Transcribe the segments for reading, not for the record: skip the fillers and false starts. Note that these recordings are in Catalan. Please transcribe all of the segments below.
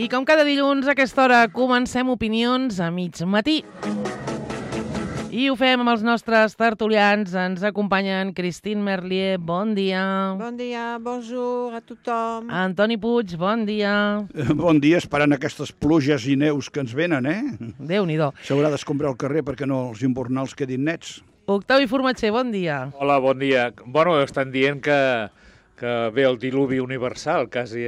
I com cada dilluns a aquesta hora comencem opinions a mig matí. I ho fem amb els nostres tertulians. Ens acompanyen Christine Merlier, bon dia. Bon dia, bonjour a tothom. Antoni Puig, bon dia. Bon dia, esperant aquestes pluges i neus que ens venen, Déu-n'hi-do. S'haurà d'escombrar el carrer perquè no els invernals quedin nets. Octavi Formatger, bon dia. Hola, bon dia. Bueno, estan dient que ve el diluvi universal, quasi,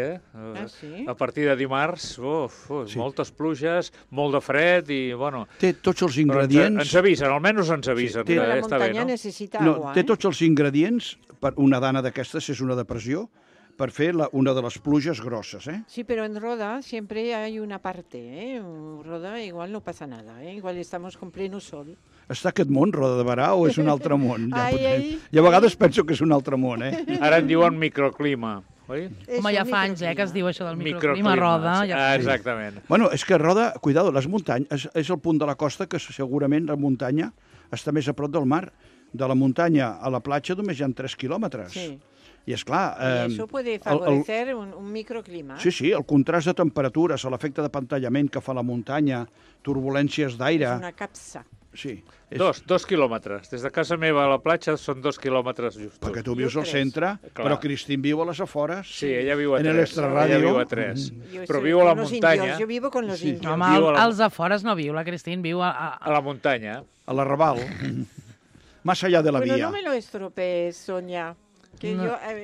sí? A partir de dimarts, sí. Moltes pluges, molt de fred i, bueno... Té tots els ingredients... Ens avisen, almenys ens avisen. Sí, la està bé, muntanya no? necessita agua, Té tots els ingredients per una dana d'aquestes, és una depressió, per fer una de les pluges grosses, Sí, pero en Roda siempre hay una parte, Roda igual no pasa nada, igual estamos con pleno sol. Està aquest món, Roda de Barà, o és un altre món? I a vegades penso que és un altre món, Ara en diuen microclima, oi? Home, ja fa anys, que es diu això del microclima a Roda. Exactament. Bueno, és que Roda, cuidado, les muntanyes, és el punt de la costa que segurament la muntanya està més a prop del mar. De la muntanya a la platja només hi ha 3 quilòmetres. Sí. I és clar... Eso puede favorecer un microclima. Sí, el contrast de temperatures, l'efecte de pantallament que fa la muntanya, turbulències d'aire... És una capsa. Sí. 2 quilòmetres. Des de casa meva a la platja són 2 quilòmetres justos. Perquè tu vius al centre, però Cristín viu a les afores. Sí, ella viu a 3. En l'extrarradio. Ella viu a 3. Però viu a la muntanya. Jo vivo con los indios. Home, als afores no viu, la Cristín viu a la muntanya. A l'arrabal. Más allá de la vía. Bueno, no me lo estropees, Sonia, que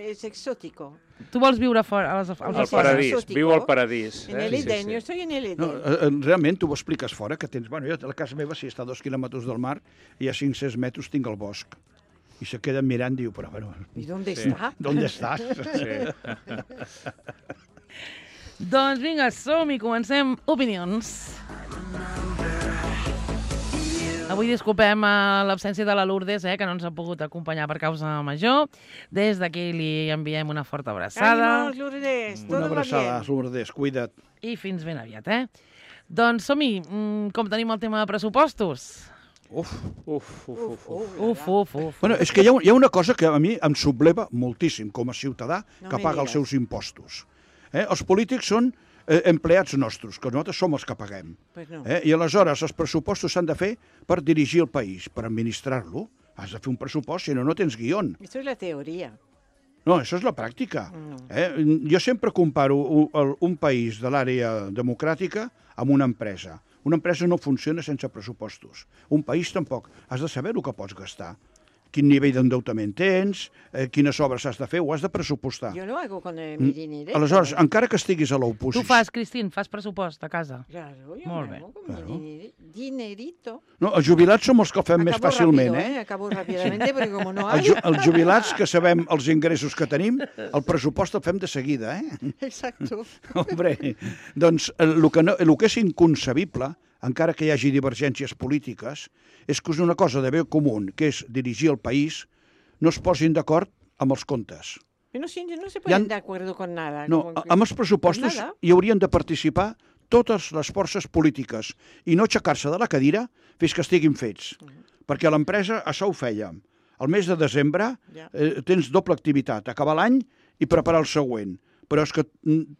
es exótico. Tu vols viure fora, als al paradís, viu al paradís. En el Edén, jo estoy en el Edén. No, realment, tu ho expliques fora, que tens... Bueno, jo a la casa meva, si està a 2 quilòmetres del mar, i a 500 metres tinc el bosc. I se queden mirant i diu, però bueno... I d'on està? D'on estàs? Sí. Doncs vinga, som-hi, comencem opinions. Avui disculpem l'absència de la Lourdes, que no ens ha pogut acompanyar per causa major. Des d'aquí li enviem una forta abraçada. Ánimos, Lourdes, todo una abraçada, va bien. Lourdes, cuida't. I fins ben aviat, Doncs som-hi, com tenim el tema de pressupostos? Uf. Bueno, és que hi ha una cosa que a mi em subleva moltíssim com a ciutadà que paga els seus impostos. Els polítics són empleats nostres, que nosaltres som els que paguem. Pues no. I aleshores els pressupostos s'han de fer per dirigir el país, per administrar-lo. Has de fer un pressupost, si no, no tens guió. Això és la teoria. No, això és la pràctica. Jo sempre comparo un país de l'àrea democràtica amb una empresa. Una empresa no funciona sense pressupostos. Un país tampoc. Has de saber el que pots gastar. Quin nivell d'endeutament tens, quines obres has de fer, ho has de pressupostar. Jo lo hago con mi dinero. Aleshores, encara que estiguis a l'oposició... Tu fas, Cristín, fas pressupost a casa. Claro, jo Molt bé. hago con mi dinerito. No, els jubilats som els que ho fem més fàcilment, Acabo ràpidament, perquè com no hay... Els jubilats, que sabem els ingressos que tenim, el pressupost el fem de seguida, Exacto. Hombre, doncs el que és inconcebible, encara que hi hagi divergències polítiques, és que és una cosa de bé comú, que és dirigir el país, no es posin d'acord amb els comptes. No se ponen de acuerdo con nada. No, amb els pressupostos hi haurien de participar totes les forces polítiques i no aixecar-se de la cadira fins que estiguin fets. Perquè a l'empresa això ho fèiem. Al mes de desembre tens doble activitat, acabar l'any i preparar el següent. Però és que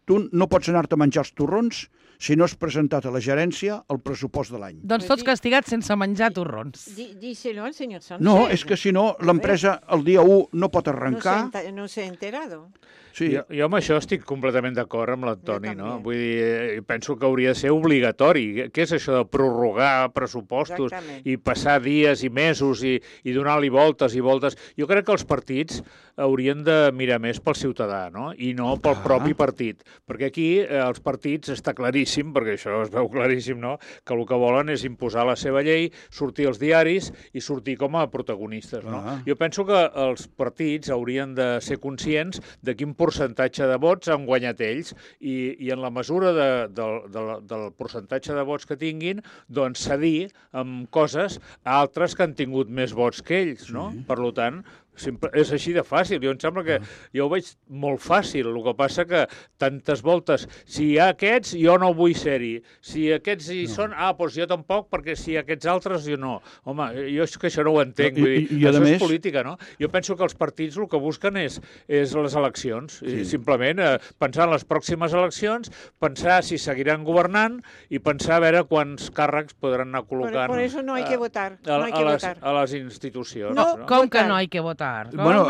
tu no pots anar-te a menjar els torrons si no has presentat a la gerència el pressupost de l'any. Doncs tots castigats sense menjar torrons. Díselo al senyor Sánchez. No, és que si no, l'empresa el dia 1 no pot arrencar. No se ha enterado. Sí. Jo amb això estic completament d'acord amb l'Antoni, no? Vull dir, penso que hauria de ser obligatori. Què és això de prorrogar pressupostos i passar dies i mesos i donar-li voltes i voltes? Jo crec que els partits haurien de mirar més pel ciutadà, no? I no pel propi partit. Perquè aquí els partits està claríssim, perquè això es veu claríssim, no? Que el que volen és imposar la seva llei, sortir als diaris i sortir com a protagonistes, no? Jo penso que els partits haurien de ser conscients de quin percentatge de vots han guanyat ells i en la mesura del percentatge de vots que tinguin, doncs cedir amb coses a altres que han tingut més vots que ells, no? Per tant, És així de fàcil. Jo em sembla que jo ho veig molt fàcil. El que passa que tantes voltes, si hi ha aquests, jo no vull ser-hi. Si aquests hi són, doncs jo tampoc, perquè si hi ha aquests altres, jo no. Home, jo és que això no ho entenc. Això és política, no? Jo penso que els partits el que busquen és les eleccions. Simplement pensar en les pròximes eleccions, pensar si seguiran governant i pensar a veure quants càrrecs podran anar col·locant por eso no hay que votar. A les institucions. Com que no hay que votar? Bueno,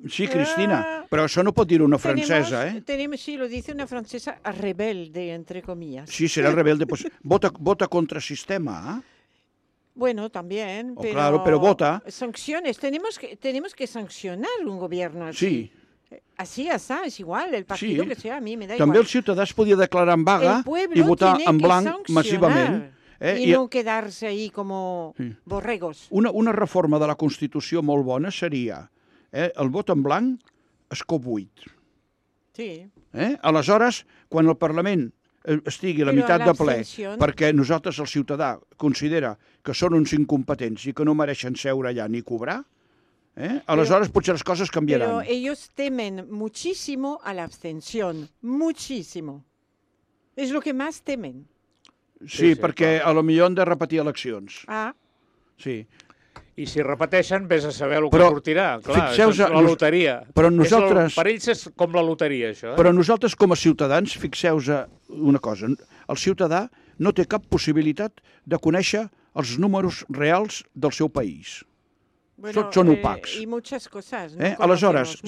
sí, Cristina, però això no pot dir una francesa, ¿eh? Sí, lo dice una francesa rebelde, entre comillas. Sí, será rebelde, pues vota contra sistema, ¿eh? Bueno, también, pero vota. Sanciones, tenemos que sancionar un gobierno así. Sí. Así, es igual, el partido que sea, a mí me da També igual. El ciutadà es podia declarar en vaga i votar en blanc massivament. Y no quedarse ahí como borregos. Una reforma de la Constitució molt bona seria el vot en blanc escó 8. Sí. Aleshores, quan el Parlament estigui a la meitat de ple, perquè nosaltres, el ciutadà, considera que són uns incompetents i que no mereixen seure allà ni cobrar, aleshores potser les coses canviaran. Pero ellos temen muchísimo a la abstención, muchísimo. Es lo que más temen. Sí, perquè a lo millor han de repetir eleccions. Sí. I si repeteixen, vés a saber el que sortirà. Clar, això és la loteria. Però nosaltres... Per ells és com la loteria, això. Però nosaltres, com a ciutadans, fixeu-vos una cosa. El ciutadà no té cap possibilitat de conèixer els números reals del seu país. Tots són opacs. I moltes coses. Aleshores,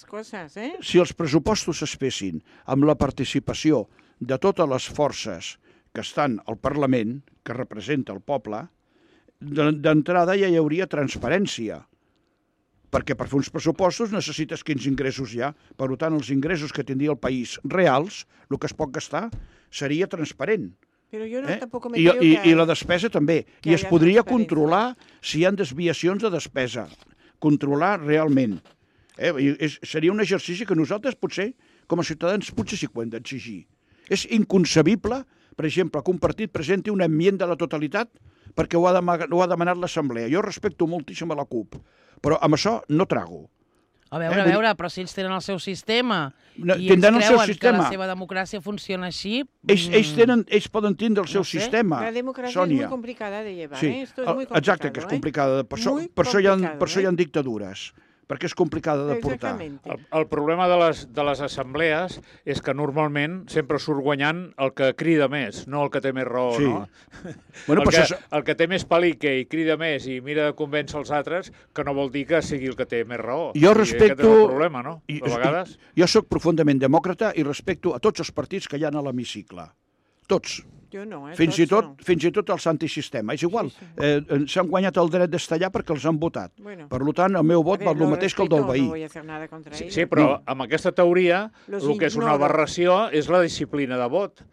coses, si els pressupostos es fessin amb la participació de totes les forces que estan al Parlament, que representa el poble, d'entrada ja hi hauria transparència, perquè per fer uns pressupostos necessites quins ingressos hi ha. Per tant, els ingressos que tindria el país reals, el que es pot gastar, seria transparent. Però jo tampoc me creo que... I la despesa també. I es podria controlar si hi ha desviacions de despesa. Controlar realment. Seria un exercici que nosaltres potser, com a ciutadans, potser sí que ho hem d'exigir. És inconcebible, per exemple, que un partit presenti una enmienda a la totalitat perquè ho ha demanat l'Assemblea. Jo respecto moltíssim a la CUP, però amb això no trago. A veure, però si ells tenen el seu sistema i ells creuen que la seva democràcia funciona així... Ells poden tindre el seu sistema, La democràcia és molt complicada de llevar, Esto es muy complicado. Exacte, que és complicada. Per això hi ha dictadures, perquè és complicada de portar. El problema de les assemblees és que normalment sempre surt guanyant el que crida més, no el que té més raó, no? El que té més palique i crida més i mira de convèncer els altres, que no vol dir que sigui el que té més raó. Jo respecto... Aquest és el problema, no? A vegades... Jo soc profundament demòcrata i respecto a tots els partits que hi ha a l'hemicicle. Tots. Jo no, fins i tot els antisistema. És igual, s'han guanyat el dret d'estar allà perquè els han votat. Per tant, el meu vot val el mateix que el del veí. Sí, però amb aquesta teoria el que és una aberració és la disciplina de vot.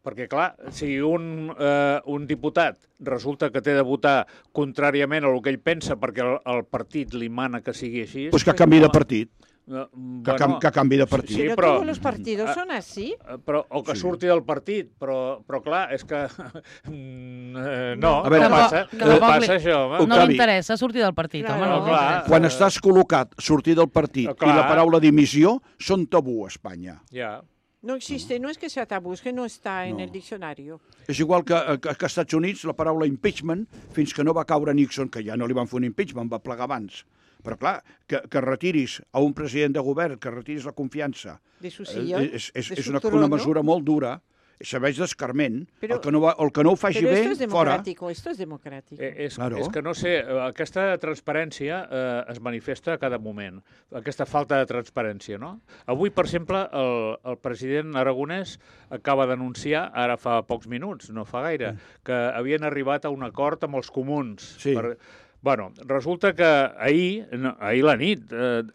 Perquè, clar, si un diputat resulta que té de votar contràriament a el que ell pensa perquè el partit li mana que sigui així... Doncs que canvi de partit. Que canvi de partit. Sí, però tots els partits són així. O que surti del partit, però clar, és que no passa això. No li interessa sortir del partit, home, no. Quan estàs col·locat, sortir del partit i la paraula dimissió són tabú a Espanya. No existe, no es que sea tabú, es que no está en el diccionario. És igual que als Estats Units la paraula impeachment, fins que no va caure Nixon, que ja no li van fer un impeachment, va plegar abans. Però, clar, que retiris a un president de govern, que retiris la confiança, és una mesura molt dura, serveix d'escarment. El que no ho faci bé, fora. Però esto es democràtic. És que no sé, aquesta transparència es manifesta a cada moment, aquesta falta de transparència, no? Avui, per exemple, el president aragonès acaba d'anunciar, ara fa pocs minuts, no fa gaire, que havien arribat a un acord amb els comuns. Bueno, resulta que ahir la nit,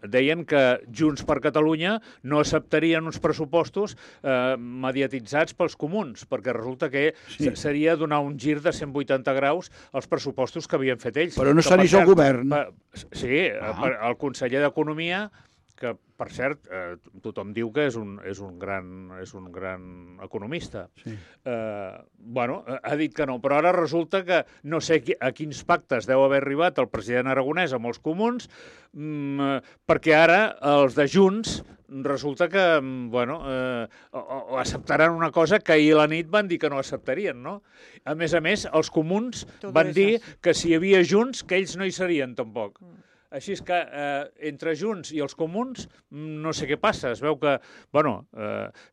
deien que Junts per Catalunya no acceptarien uns pressupostos mediatitzats pels comuns, perquè resulta que seria donar un gir de 180 graus als pressupostos que havien fet ells. Però no s'anís al govern. Sí, el conseller d'Economia que, per cert, tothom diu que és un gran economista. Sí. Ha dit que no, però ara resulta que no sé a quins pactes deu haver arribat el president Aragonès amb els comuns, perquè ara els de Junts resulta que, acceptaran una cosa que ahir a la nit van dir que no acceptarien, no? A més, els comuns van dir que si hi havia Junts, que ells no hi serien tampoc. Així és que entre Junts i els comuns no sé què passa. Es veu que,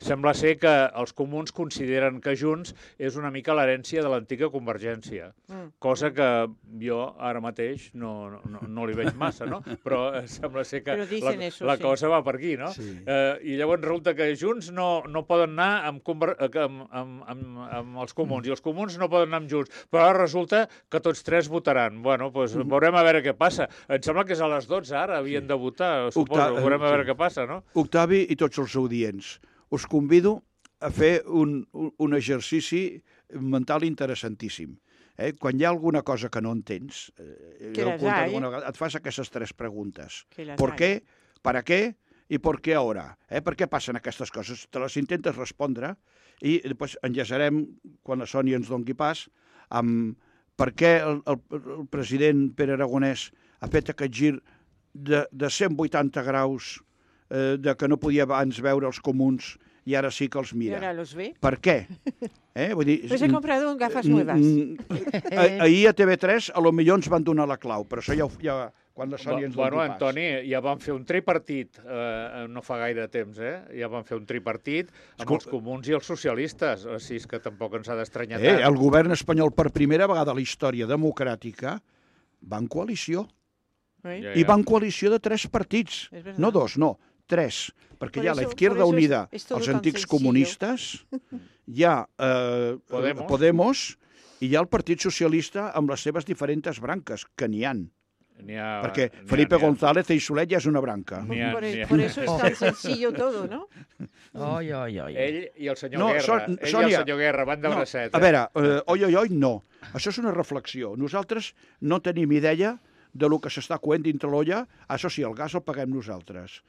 sembla ser que els comuns consideren que Junts és una mica l'herència de l'antiga Convergència, cosa que jo ara mateix no li veig massa, no? Però sembla ser que la cosa va per aquí, no? Sí. I llavors resulta que Junts no poden anar amb els comuns i els comuns no poden anar amb Junts, però ara resulta que tots tres votaran. Veurem a veure què passa. Em sembla que és a les 12 ara, havien de votar, suposo. Veurem a veure què passa, no? Octavi i tots els audients, us convido a fer un exercici mental interessantíssim. Quan hi ha alguna cosa que no entens, et fas aquestes tres preguntes. ¿Por qué? ¿Para qué? I per què ara? Per què passen aquestes coses? Te les intentes respondre i després enllaçarem, quan la Sònia ens doni pas, amb per què el president Pere Aragonès ha fet aquest gir de 180 graus de que no podia abans veure els comuns i ara sí que els mira. I ara los ve. Per què? Vull dir, pues he comprado gafas nuevas. Ahir a TV3 a lo millor ens van donar la clau, però això ja quan la Sònia ens doni pas. Antoni, ja van fer un tripartit no fa gaire temps, Ja van fer un tripartit amb els comuns i els socialistes, així que tampoc ens ha d'estranyar tant. El govern espanyol per primera vegada a la història democràtica va en coalició. I va en coalició de 3 partits. No 2, no, 3. Perquè hi ha la Izquierda Unida, els antics comunistes, hi ha Podemos i hi ha el Partit Socialista amb les seves diferents branques, que n'hi ha. Perquè Felipe González i Solet ja és una branca. Por eso es tan sencillo todo, ¿no? Ell i el senyor Guerra van de bracet. A veure, no. Això és una reflexió. Nosaltres no tenim idea de lo que s'està coent dintre l'olla. Això sí, el gas el paguem nosaltres.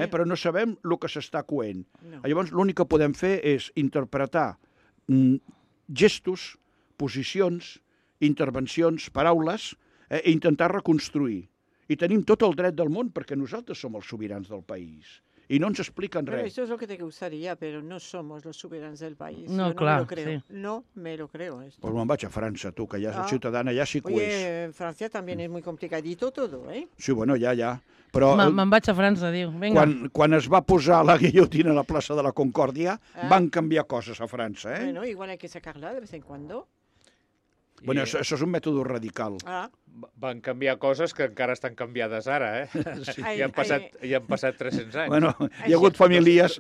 Però no sabem el que s'està coent. Llavors, l'únic que podem fer és interpretar gestos, posicions, intervencions, paraules, i intentar reconstruir. I tenim tot el dret del món perquè nosaltres som els sobirans del país. Y no ens explican res. Eso es lo que te gustaría, pero no somos los soberanos del país. No, claro, sí. No me lo creo. Esto. Pues me'n vaig a França, tu, que ja és ciutadana, ja s'hi cueix. Oye, en Francia también es muy complicadito todo, ¿eh? Sí, bueno, ja. Però me'n vaig a França, diu. Vinga. Quan es va posar la guillotina a la plaça de la Concòrdia, van canviar coses a França, eh? Bueno, igual hay que sacarla de vez en cuando. Bueno, això és un mètode radical. Van canviar coses que encara estan canviades ara, Sí. I han passat 300 anys. Bueno, hi ha hagut famílies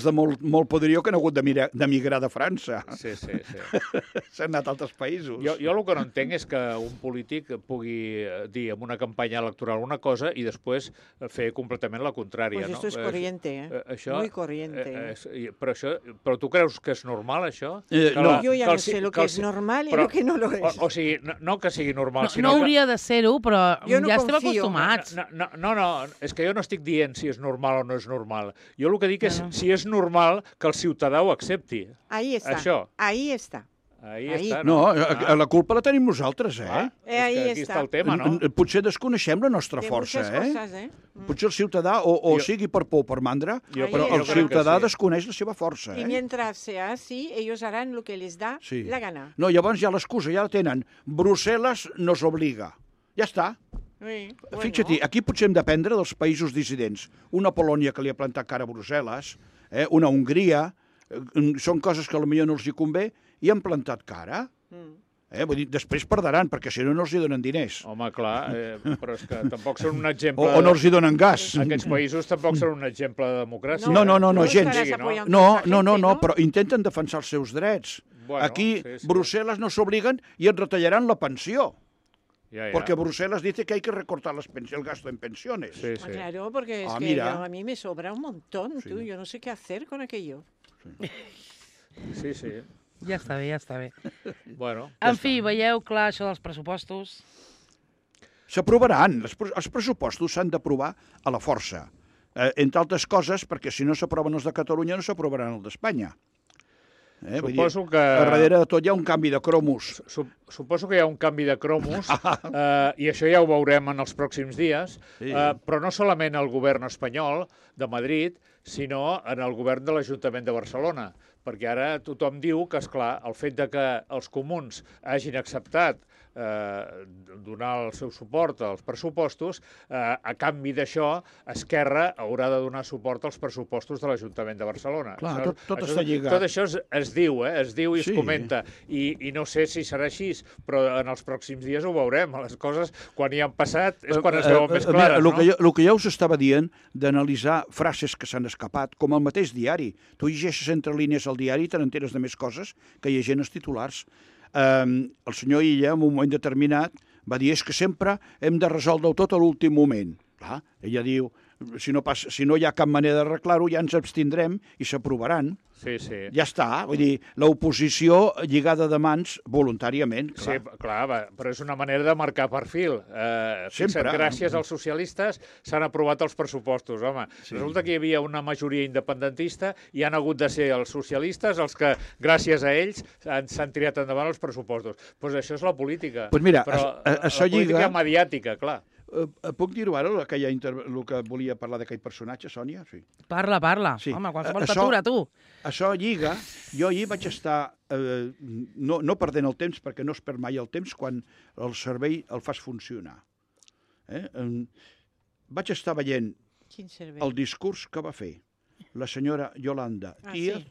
de molt poderío que han hagut d'emigrar de França. Sí. S'han anat a altres països. Jo el que no entenc és que un polític pugui dir en una campanya electoral una cosa i després fer completament la contrària. Pues esto es corriente, muy corriente. Però tu creus que és normal, això? No, jo ja no sé lo que és normal i lo que no lo és. O sigui, no que sigui normal, no hauria de ser-ho, però ja estem acostumats. No, és que jo no estic dient si és normal o no és normal. Jo el que dic és si és normal que el ciutadà ho accepti. Ahí està. Això. Ahí està. No, la culpa la tenim nosaltres, Aquí està el tema, no? Potser desconeixem la nostra força, Potser el ciutadà, o sigui per por o per mandra, però el ciutadà desconeix la seva força, I mientras sea así, ellos harán lo que les da la gana. No, llavors ja l'excusa, ja la tenen. Brussel·les nos obliga. Ja està. Fixa-t'hi, aquí potser hem d'aprendre dels països dissidents. Una Polònia que li ha plantat cara a Brussel·les, una Hongria, són coses que potser no els hi convé, i han plantat cara. Vull dir, després perdran, perquè si no, no els hi donen diners. Home, clar, però és que tampoc són un exemple... O no els hi donen gas. Aquests països tampoc són un exemple de democràcia. No, gens. No, però intenten defensar els seus drets. Aquí, Brussel·les no s'obliguen i et retallaran la pensió. Porque Bruselas dice que hay que recortar el gasto en pensiones. Sí. Claro, porque es que a mí me sobra un montón, yo no sé qué hacer con aquello. Sí. Ja està bé. Bueno, en fi, veieu clar això dels pressupostos? S'aprovaran. Els pressupostos s'han d'aprovar a la força. entre altres coses, perquè si no s'aproven els de Catalunya no s'aprovaran els d'Espanya. Suposo que... A darrere de tot hi ha un canvi de cromos. Suposo que hi ha un canvi de cromos i això ja ho veurem en els pròxims dies, però no solament el govern espanyol de Madrid, sinó en el govern de l'Ajuntament de Barcelona, perquè ara tothom diu que, esclar, el fet de que els comuns hagin acceptat donar el seu suport als pressupostos, a canvi d'això, Esquerra haurà de donar suport als pressupostos de l'Ajuntament de Barcelona. Clar, tot està lligat. Tot això es diu i es comenta, i no sé si serà així, però en els pròxims dies ho veurem. Les coses, quan hi han passat, és quan es veuen més clares, no? El que jo us estava dient, d'analitzar frases que s'han escapat, com el mateix diari. Tu llegeixes entre línies al diari i te n'enteres de més coses que llegint els titulars. El senyor Illa, en un moment determinat, va dir és que sempre hem de resoldre-ho tot a l'últim moment. Clar, ella diu, si no hi ha cap manera d'arreglar-ho, ja ens abstindrem i s'aprovaran. Sí, sí. Ja està, vull dir, l'oposició lligada de mans voluntàriament. Clar. Sí, clar, però és una manera de marcar perfil. Sempre. Gràcies als socialistes s'han aprovat els pressupostos, home. Sí. Resulta que hi havia una majoria independentista i han hagut de ser els socialistes els que, gràcies a ells, s'han tirat endavant els pressupostos. Doncs això és la política. Pues mira, però la política mediàtica, clar. Puc dir-ho ara, el que volia parlar d'aquell personatge, Sònia? Sí. Parla. Sí. Home, qualsevol t'atura, tu. Això lliga. Jo ahir vaig estar, no perdent el temps, perquè no es perd mai el temps quan el cervell el fas funcionar. Vaig estar veient el discurs que va fer la senyora Yolanda Díaz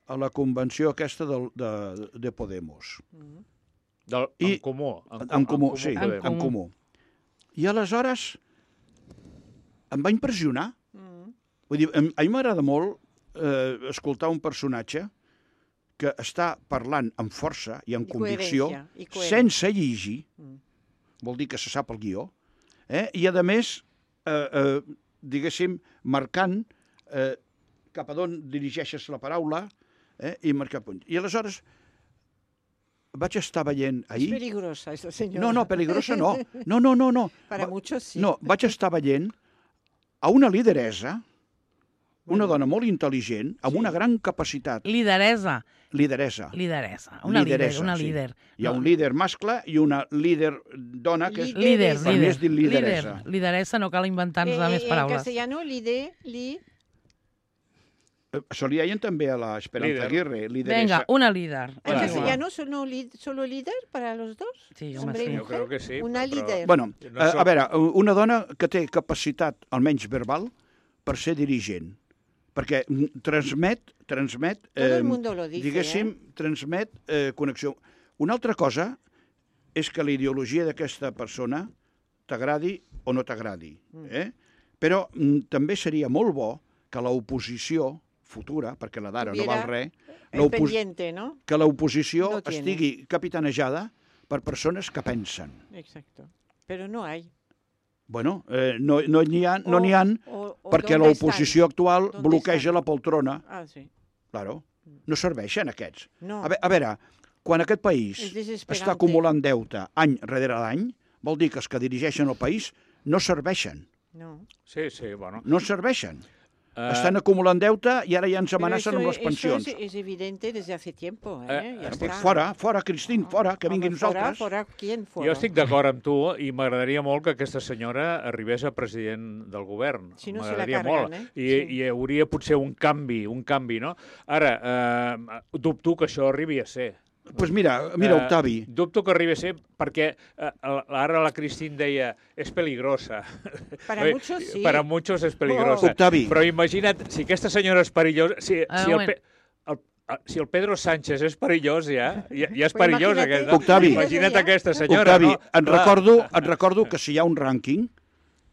a la convenció aquesta de Podemos. En Comú. En Comú, sí, en Comú. I aleshores em va impressionar. Vull dir, a mi m'agrada molt escoltar un personatge que està parlant amb força i amb convicció, sense llegir, vol dir que se sap el guió, i a més, diguéssim, marcant cap a d'on dirigeixes la paraula i marcar punts. I aleshores vaig estar veient ahir... És peligrosa, esta senyora. No, peligrosa no. No. Para muchos sí. No, vaig estar veient a una lideresa, una dona molt intel·ligent, amb una gran capacitat. Lideresa. Una líder. Hi ha un líder mascle i una líder dona, que és... Líder. És dir lideresa. Lideresa, no cal inventar-nos més paraules. En castellano, Això li deien també a la Esperanza Aguirre, lideresa. Venga, una líder. ¿En castellano solo líder para los dos? Sí, hombre y mujer. Yo creo que sí. Una líder. Bueno, a veure, una dona que té capacitat, almenys verbal, per ser dirigent. Perquè transmet Todo el mundo lo dice, diguéssim, transmet connexió. Una altra cosa és que la ideologia d'aquesta persona t'agradi o no t'agradi. Però també seria molt bo que l'oposició futura, perquè la d'ara no val res, que l'oposició estigui capitanejada per persones que pensen. Exacto. Però no hay. Bueno, no n'hi ha, perquè l'oposició actual bloqueja la poltrona. Ah, sí. Claro, no serveixen aquests. No. A veure, quan aquest país està acumulant deute any rere l'any, vol dir que els que dirigeixen el país no serveixen. No. Sí, bueno. No serveixen. Estan acumulant deute i ara ja ens amenacen amb les pensions. Eso es evidente desde hace tiempo. Fora, Cristín, fora, que vinguin nosaltres. ¿Quién fora? Jo estic d'acord amb tu i m'agradaria molt que aquesta senyora arribés a president del govern. Si no se la cargan, I hi hauria potser un canvi, no? Ara, dubto que això arribi a ser. Doncs mira, Octavi. Dubto que arribi a ser perquè ara la Cristín deia és peligrosa. Para muchos sí. Para muchos és peligrosa. Octavi. Però imagina't, si aquesta senyora és perillosa... Si el Pedro Sánchez és perillós, ja és perillós. Octavi. Imagina't aquesta senyora. Octavi, et recordo que si hi ha un rànquing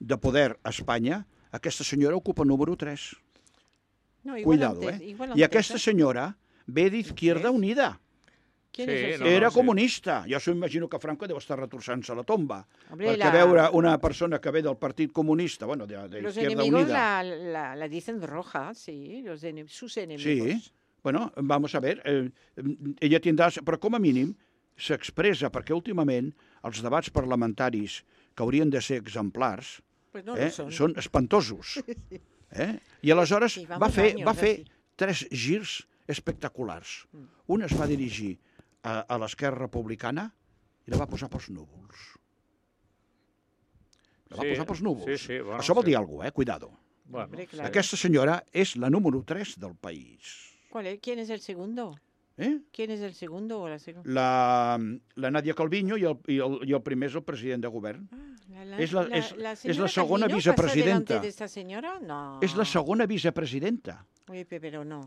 de poder a Espanya, aquesta senyora ocupa número 3. Cuidado, I aquesta senyora ve d'Izquierda Unida. Era comunista. Jo m'imagino que Franco deu estar retorçant-se a la tomba. Perquè veure una persona que ve del Partit Comunista, bueno, de Izquierda Unida... Los enemigos la dicen roja, sí, sus enemigos. Sí, bueno, vamos a ver, ella tindrà... Però com a mínim s'expressa, perquè últimament els debats parlamentaris que haurien de ser exemplars són espantosos. I aleshores va fer 3 girs espectaculars. Un es va dirigir a l'Esquerra Republicana i la va posar pels núvols. La va posar pels núvols. Això vol dir alguna cosa, cuidado. Aquesta senyora és la número 3 del país. ¿Quién es el segundo? ¿Quién es el segundo o la segunda? La Nadia Calviño i el primer és el president de govern. És la segona vicepresidenta. No. És la segona vicepresidenta. Oye, però no.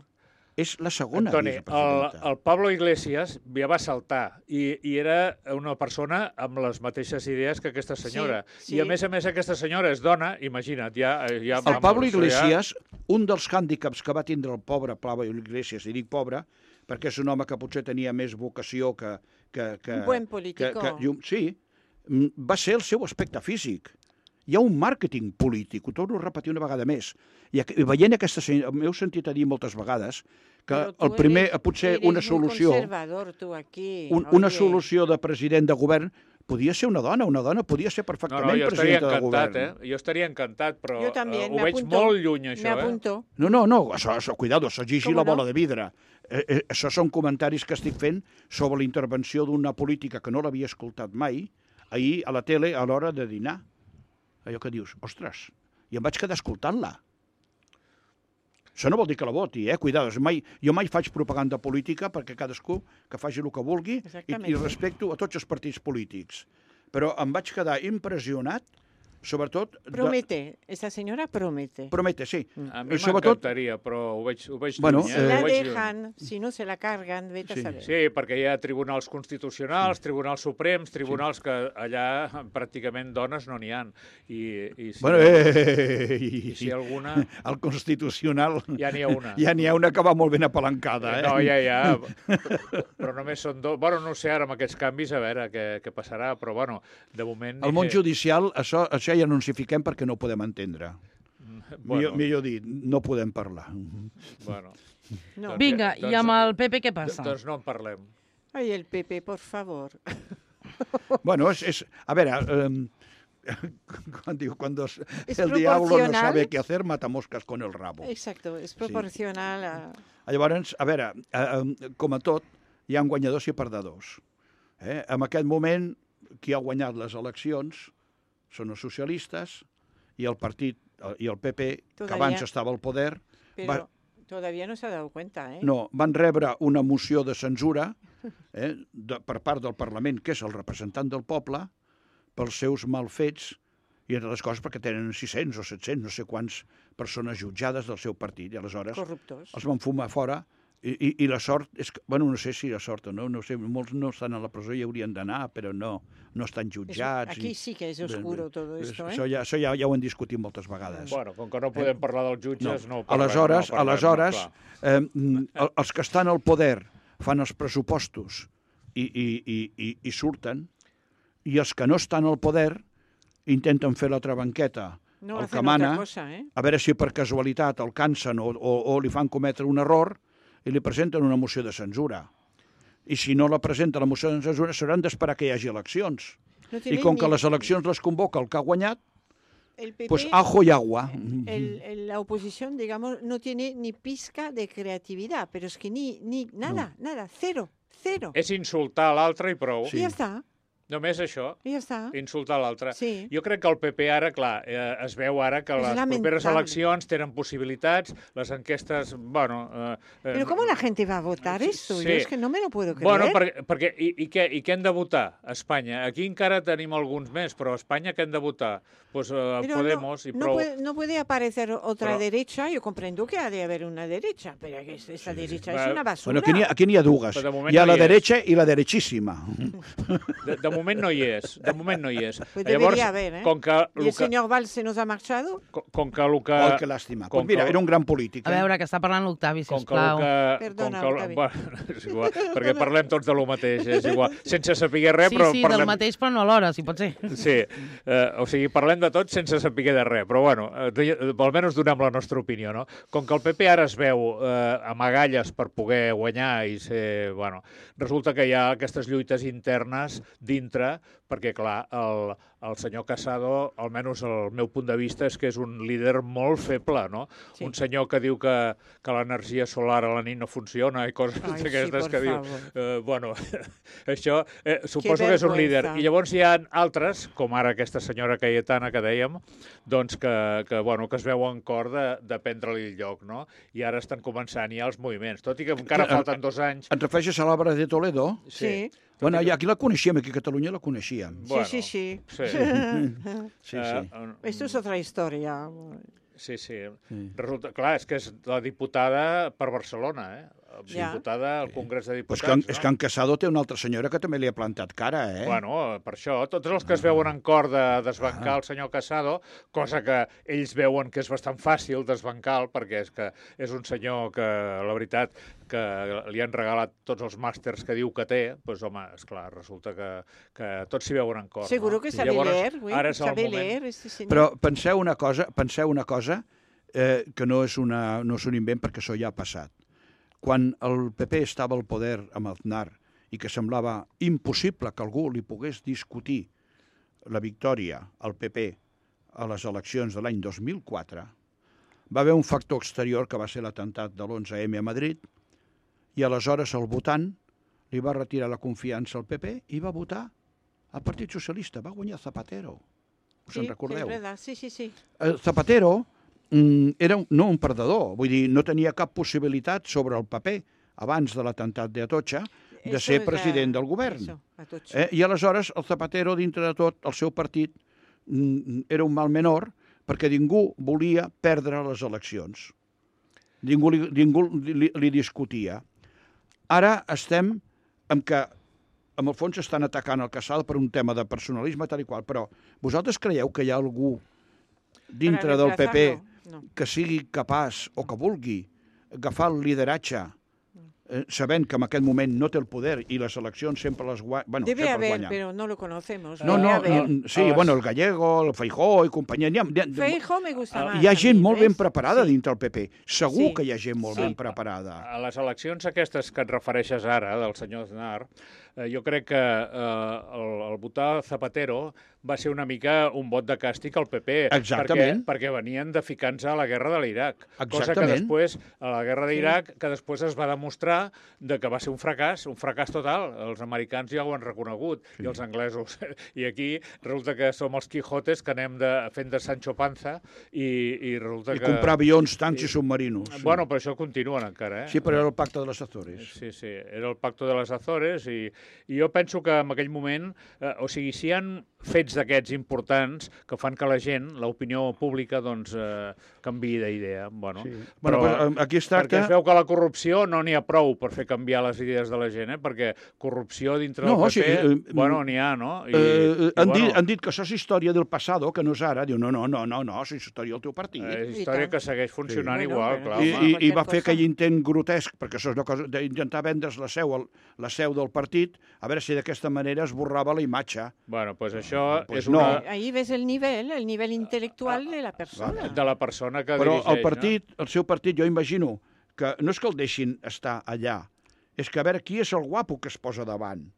És la segona vicepresidenta. Antoni, el Pablo Iglesias ja va saltar i era una persona amb les mateixes idees que aquesta senyora. I a més aquesta senyora és dona, imagina't, El Pablo Iglesias, un dels hàndicaps que va tindre el pobre Pablo Iglesias, i dic pobre, perquè és un home que potser tenia més vocació que... Un buen político. Sí, va ser el seu aspecte físic. Hi ha un màrqueting polític, ho torno a repetir una vegada més. I veient aquesta senyora, m'heu sentit a dir moltes vegades que el primer, potser una solució... Una solució de president de govern podia ser una dona podia ser perfectament presidenta de govern. Jo estaria encantat, però ho veig molt lluny, això. No, cuidado, això gigi la bola de vidre. Això són comentaris que estic fent sobre la intervenció d'una política que no l'havia escoltat mai, ahir a la tele a l'hora de dinar. Allò que dius, ostres, i em vaig quedar escoltant-la. Això no vol dir que la voti, cuidado. Jo mai faig propaganda política perquè cadascú que faci el que vulgui i respecto a tots els partits polítics. Però em vaig quedar impressionat, sobretot... Promete, esta senyora promete. Promete, sí. A mi m'encantaria, però ho veig lluny. Si la dejan, si no se la carguen, vete a saber. Sí, perquè hi ha tribunals constitucionals, tribunals suprems, tribunals que allà pràcticament dones no n'hi ha. I si alguna... Al constitucional... Ja n'hi ha una. Ja n'hi ha una que va molt ben apalancada, No, ja. Però només són dos... Bueno, no sé ara amb aquests canvis, a veure què passarà, però bueno, de moment... El món judicial, això ja no ens hi fiquem perquè no ho podem entendre. Millor dit, no podem parlar. Vinga, i amb el PP què passa? Doncs no en parlem. Ai, el PP, por favor. Bueno, a veure, cuando el diablo no sabe qué hacer, mata moscas con el rabo. Exacto, és proporcional a... Llavors, a veure, com a tot, hi ha guanyadors i perdedors. En aquest moment, qui ha guanyat les eleccions són els socialistes i el partit i el PP, que abans estava al poder... Però todavía no s'ha dado cuenta, No, van rebre una moció de censura per part del Parlament, que és el representant del poble, pels seus malfets, i entre les coses perquè tenen 600 o 700, no sé quants persones jutjades del seu partit, i aleshores els van fumar fora. I la sort és que, bueno, no sé si la sort o no sé, molts no estan a la presó i haurien d'anar, però no estan jutjats. Aquí sí que és oscuro tot esto, Això ja ho hem discutit moltes vegades. Bueno, com que no podem parlar dels jutges, no ho parlem. Aleshores, els que estan al poder fan els pressupostos i surten, i els que no estan al poder intenten fer l'altra banqueta, el que mana, a veure si per casualitat el cansen o li fan cometre un error, i li presenten una moció de censura. I si no la presenta la moció de censura, s'hauran d'esperar que hi hagi eleccions. I com que les eleccions les convoca el que ha guanyat, pues ajo y agua. La oposición, digamos, no tiene ni pizca de creatividad, pero es que ni nada, cero. És insultar l'altre i prou. I ja està. Només això, ja està. Insultar l'altre. Sí. Jo crec que el PP ara, clar, es veu ara que les properes eleccions tenen possibilitats, les enquestes, bueno... Però com la gent va a votar esto? Sí. Jo és que no me lo puedo creer. Bueno, perquè i què hem de votar a Espanya? Aquí encara tenim alguns més, però a Espanya què hem de votar? Pues Podemos y prou. No puede aparecer otra derecha, yo comprendo que ha de haber una derecha, pero esa derecha es una basura. Bueno, aquí n'hi ha dues. Hi ha la derecha i la derechíssima. De moment no hi és. Pues debería haber, ¿Y el señor Valls se nos ha marchado? Oh, que làstima. Pues mira, era un gran polític. A veure, que està parlant l'Octavi, sisplau. Perdona, Octavi. És igual, perquè parlem tots de lo mateix, és igual. Sense saber res, però parlem... Sí, del mateix, però no alhora, si pot ser. Sí, o sigui, parlem de tot sense saber de res, però bueno, almenys donem la nostra opinió, no? Com que el PP ara es veu amb agalles per poder guanyar i ser... Bueno, resulta que hi ha aquestes lluites internes dins dintre, perquè, clar, el senyor Casado, almenys el meu punt de vista, és que és un líder molt feble, no? Sí. Un senyor que diu que l'energia solar a la nit no funciona i coses d'aquestes que diu... Bueno, això suposo que és un líder. I llavors hi ha altres, com ara aquesta senyora Cayetana que dèiem, doncs que es veuen cor de prendre-li el lloc, no? I ara estan començant ja els moviments, tot i que encara falten 2 anys. Et refereixes a l'obra de Toledo? Sí. Bueno, aquí la coneixíem, aquí a Catalunya la coneixíem. Sí. Esto es otra historia. Sí. Resulta, clar, és que és la diputada per Barcelona, diputada al Congrés de Diputats. Pues és que en Casado té una altra senyora que també li ha plantat cara, Bueno, per això, tots els que es veuen en cor de desbancar el senyor Casado, cosa que ells veuen que és bastant fàcil desbancar, perquè és que és un senyor que, la veritat, que li han regalat tots els màsters que diu que té, doncs, home, esclar, resulta que tots s'hi veuen en cor. Seguro que sabe leer, sabe leer. Però penseu una cosa que no és un invent, perquè això ja ha passat. Quan el PP estava al poder amb Aznar i que semblava impossible que algú li pogués discutir la victòria al PP a les eleccions de l'any 2004, va haver un factor exterior que va ser l'atemptat de l'11M a Madrid i aleshores el votant li va retirar la confiança al PP i va votar al Partit Socialista. Va guanyar Zapatero. Us en recordeu? Sí. Zapatero era no un perdedor, vull dir, no tenia cap possibilitat sobre el paper abans de l'atemptat d'Atocha de ser president del govern. I aleshores el Zapatero, dintre de tot, el seu partit era un mal menor perquè ningú volia perdre les eleccions. Ningú li discutia. Ara estem amb que, en el fons, estan atacant el Casado per un tema de personalisme tal i qual, però vosaltres creieu que hi ha algú dintre del PP que sigui capaç o que vulgui agafar el lideratge sabent que en aquell moment no té el poder i les eleccions sempre les guanya. Bueno, debe haber, pero no lo conocemos. Sí, bueno, el Gallego, el Feijóo i companyia. Feijóo me gusta más. Hi ha gent molt ben preparada dintre el PP. Segur que hi ha gent molt ben preparada. A les eleccions aquestes que et refereixes ara, del senyor Aznar, jo crec que el votar Zapatero va ser una mica un vot de càstig al PP. Exactament. Perquè venien de ficar-nos a la guerra de l'Iraq. Cosa que després, a la guerra d'Iraq, que després es va demostrar que va ser un fracàs total. Els americans ja ho han reconegut, i els anglesos. I aquí resulta que som els Quijotes que anem fent de Sancho Panza i resulta que... I comprar avions, tancs i submarinos. Bueno, però això continuen encara, Sí, però era el pacte de les Azores. Sí, era el pacte de les Azores i jo penso que en aquell moment, o sigui, si hi ha fets d'aquests importants que fan que la gent, l'opinió pública, doncs, canviï d'idea. Bueno, però aquí es tracta... Perquè es veu que la corrupció no n'hi ha prou per fer canviar les idees de la gent, perquè corrupció dintre del PP, bueno, n'hi ha, no? Han dit que això és història del passado, que no és ara. Diu, no, és història del teu partit. És història que segueix funcionant igual, clar. I va fer aquell intent grotesc, perquè això és una cosa d'intentar vendre's la seu del partit, a veure si d'aquesta manera es borrava la imatge. Bueno, doncs això és una... Ahí ves el nivel intel·lectual de la persona. De la persona que dirigeix, no? Però el seu partit, jo imagino que no és que el deixin estar allà, és que a veure qui és el guapo que es posa davant.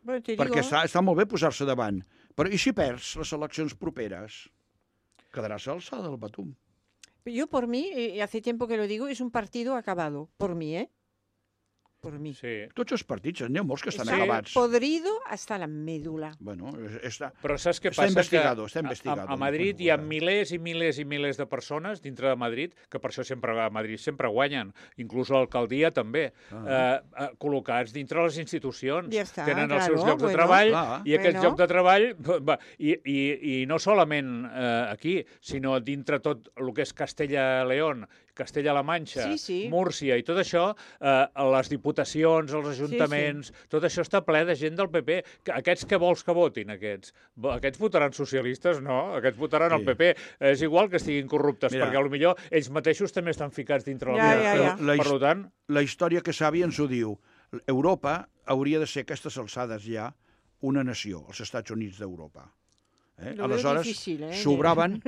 Perquè està molt bé posar-se davant. Però i si perds les eleccions properes? Quedaràs a l'alçada del Batum. Yo por mí, hace tiempo que lo digo, es un partido acabado. Por mí, por mí. Sí. Tots els partits, n'hi ha molts que estan acabats. Podrido hasta la médula. Bueno, però saps què passa? Està investigado. A Madrid hi ha milers i milers i milers de persones dintre de Madrid, que per això a Madrid sempre guanyen, inclús l'alcaldia també, col·locats dintre les institucions. Ja està, tenen els seus llocs de treball, i aquests llocs de treball, i no solament aquí, sinó dintre tot el que és Castella-León, Castella-La Manxa, Múrcia i tot això, les diputacions, els ajuntaments, tot això està ple de gent del PP. Aquests què vols que votin, aquests? Aquests votaran socialistes? No, aquests votaran el PP. És igual que estiguin corruptes, perquè potser ells mateixos també estan ficats dintre la vida. Per tant... La història que savi ens ho diu. Europa hauria de ser a aquestes alçades ja una nació, els Estats Units d'Europa. Aleshores, sobraven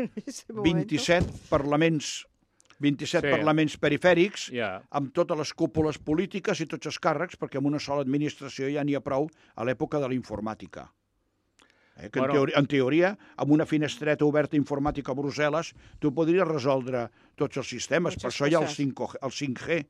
27 parlaments perifèrics, amb totes les cúpules polítiques i tots els càrrecs, perquè amb una sola administració ja n'hi ha prou a l'època de la informàtica. Que en teoria, amb una finestreta oberta informàtica a Brussel·les, tu podries resoldre tots els sistemes. Per això hi ha el 5G.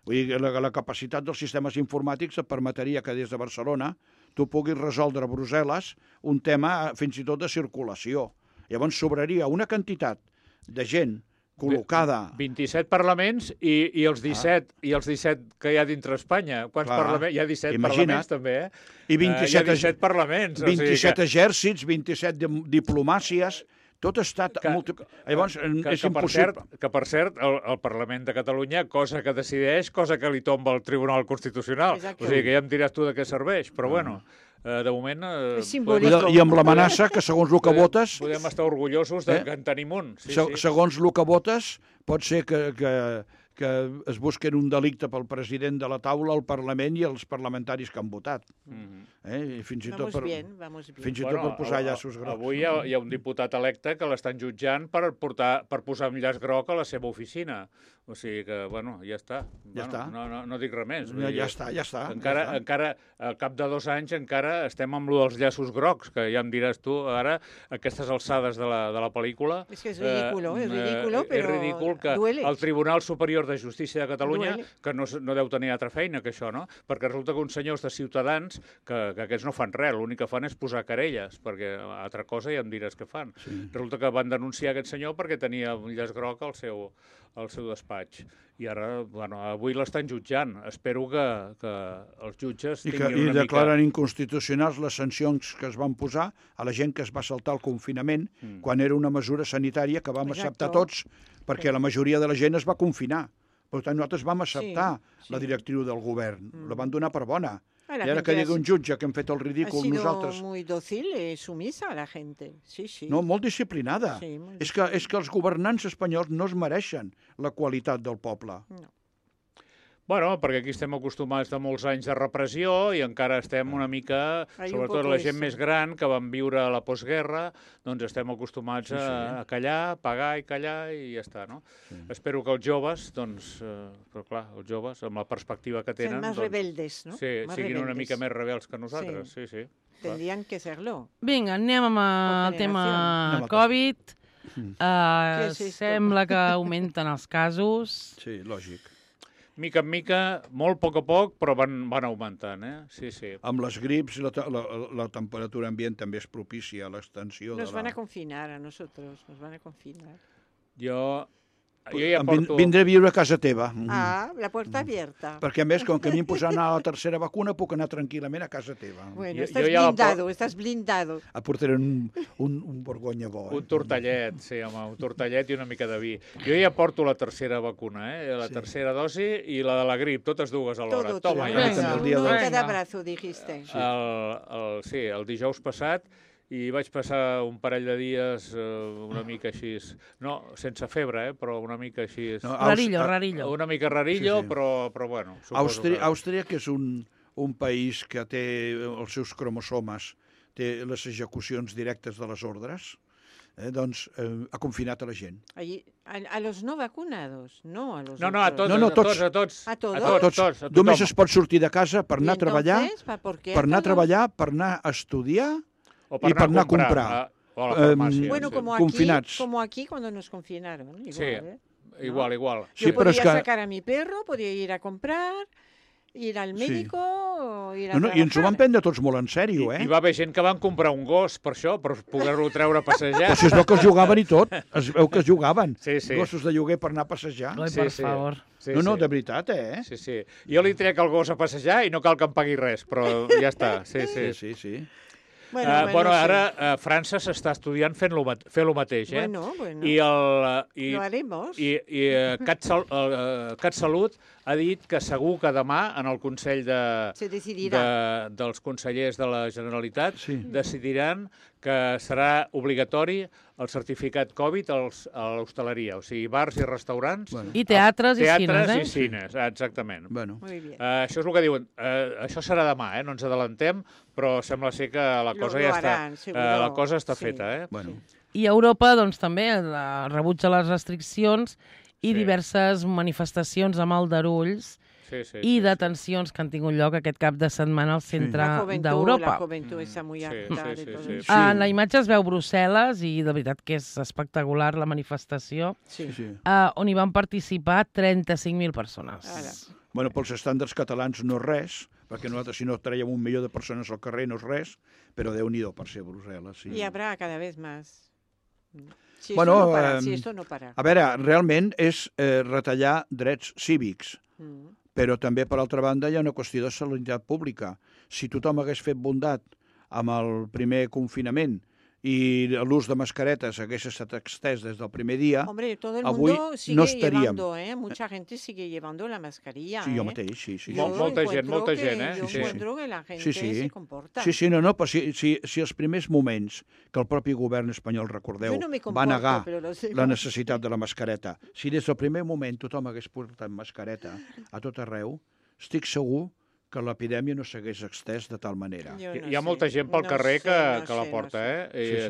Vull dir, la capacitat dels sistemes informàtics et permetria que des de Barcelona tu puguis resoldre a Brussel·les un tema fins i tot de circulació. Llavors sobraria una quantitat de gent col·locada... 27 parlaments i els 17 que hi ha dintre Espanya. Quants parlaments? Hi ha 17 parlaments també, eh? I 27 hi ha 17 parlaments. 27 exèrcits, 27 diplomàcies... Tot ha estat... Llavors, és impossible. Que, per cert, el Parlament de Catalunya, cosa que decideix, cosa que li tomba el Tribunal Constitucional. O sigui, que ja em diràs tu de què serveix. Però, bueno, de moment... I amb l'amenaça que, segons el que votes... Podem estar orgullosos que en tenim un. Segons el que votes, pot ser que es busquen un delicte pel president de la taula, el Parlament i els parlamentaris que han votat. I fins i tot per posar llaços grocs. Avui hi ha un diputat electe que l'estan jutjant per posar un llaç groc a la seva oficina. O sigui que, bueno, ja està. No dic res més. Ja està. Encara, al cap de 2 anys, encara estem amb lo dels llaços grocs, que ja em diràs tu, ara, aquestes alçades de la pel·lícula... És que és ridículo, però és ridícul que el Tribunal Superior de Justícia de Catalunya, que no deu tenir altra feina que això, no? Perquè resulta que uns senyors de Ciutadans, que aquests no fan res, l'únic que fan és posar querelles, perquè altra cosa ja em diràs què fan. Resulta que van denunciar aquest senyor perquè tenia un llaç groc al seu despatx. I ara, bueno, avui l'estan jutjant. Espero que els jutges tinguin una mica... I declaren inconstitucionals les sancions que es van posar a la gent que es va saltar el confinament quan era una mesura sanitària que vam acceptar tots, perquè la majoria de la gent es va confinar. Per tant, nosaltres vam acceptar la directriu del govern. La van donar per bona. I ara que digui un jutge que hem fet el ridícul nosaltres... Ha sido muy dócil, sumisa la gente. Sí. No, molt disciplinada. És que els governants espanyols no es mereixen la qualitat del poble. No. Bueno, perquè aquí estem acostumats de molts anys de repressió i encara estem una mica, sobretot la gent més gran que van viure a la postguerra, doncs estem acostumats a callar, pagar i callar i ja està, no? Espero que els joves, doncs, però clar, els joves, amb la perspectiva que tenen... Són més rebeldes, no? Sí, siguin una mica més rebels que nosaltres, sí. Tendrien que ser-lo. Vinga, anem amb el tema Covid. Sembla que augmenten els casos. Sí, lògic. Mica en mica, molt a poc, però van augmentant, Sí. Amb les grips, la temperatura ambient també és propícia a l'extensió de la... Nos van a confinar a nosotros, nos van a confinar. Jo ja porto... Vindré a viure a casa teva. La puerta abierta. Perquè, a més, com que a mi em posaran a la tercera vacuna, puc anar tranquil·lament a casa teva. Bueno, estàs blindado. Aportaré un borgonya bo. Un tortellet, sí, home, un tortellet i una mica de vi. Jo ja porto la tercera vacuna, la tercera dosi i la de la grip, totes dues alhora. Toma, uno en cada brazo, dijiste. Sí, el dijous passat, i vaig passar un parell de dies una mica així, no, sense febre, però una mica així... Rarillo. Una mica rarillo, però bueno. Àustria, que és un país que té els seus cromosomes, té les execucions directes de les ordres, doncs ha confinat a la gent. A los no vacunados, no a los... No, a tots. A tots. Només es pot sortir de casa per anar a treballar, per anar a estudiar... i per anar a comprar. O a la farmàcia. Bueno, como aquí cuando nos confinaron. Igual, sí, igual. Yo podía sacar a mi perro, podía ir a comprar, ir al médico, ir a trabajar. I ens ho van prendre tots molt en sèrio, Hi va haver gent que van comprar un gos per això, per poder-lo treure a passejar. Però si es veu que es jugaven i tot, es veu que es jugaven. Sí. Gossos de lloguer per anar a passejar. Per favor. No, de veritat, Sí. Jo li trec el gos a passejar i no cal que em pagui res, però ja està. Sí. Bueno, ara França s'està estudiant fer lo mateix, Bueno. Lo haremos. I CatSalut ha dit que segur que demà en el Consell dels consellers de la Generalitat decidiran que serà obligatori el certificat Covid a l'hostaleria, o sigui, bars i restaurants. I teatres i cines, Teatres i cines, exactament. Això és el que diuen. Això serà demà, no ens adelantem, però sembla ser que la cosa ja està, la cosa està feta. I Europa, doncs, també rebutja les restriccions i diverses manifestacions amb aldarulls i detencions que han tingut lloc aquest cap de setmana al centre d'Europa. La joventut està molt harta de tot això. En la imatge es veu Brussel·les i de veritat que és espectacular la manifestació, on hi van participar 35.000 persones. Bueno, pels estàndards catalans no és res, perquè nosaltres si no traiem 1 milió de persones al carrer no és res, però Déu-n'hi-do per ser Brussel·les. Y habrá cada vez más. Si esto no para. A veure, realment és retallar drets cívics, però també, per altra banda, hi ha una qüestió de sanitat pública. Si tothom hagués fet bondat amb el primer confinament i l'ús de mascaretes hagués estat extès des del primer dia, hombre, todo el avui mundo sigue no estaríem. Mucha gente sigue llevando la mascarilla. Sí, jo mateix, sí. Molta gent, Yo encuentro que la gente se comporta. Sí, no, però si els primers moments que el propi govern espanyol, recordeu, va negar la necessitat de la mascareta, si des del primer moment tothom hagués portat mascareta a tot arreu, estic segur que l'epidèmia no s'hagués extès de tal manera. Hi ha molta gent pel carrer que la porta,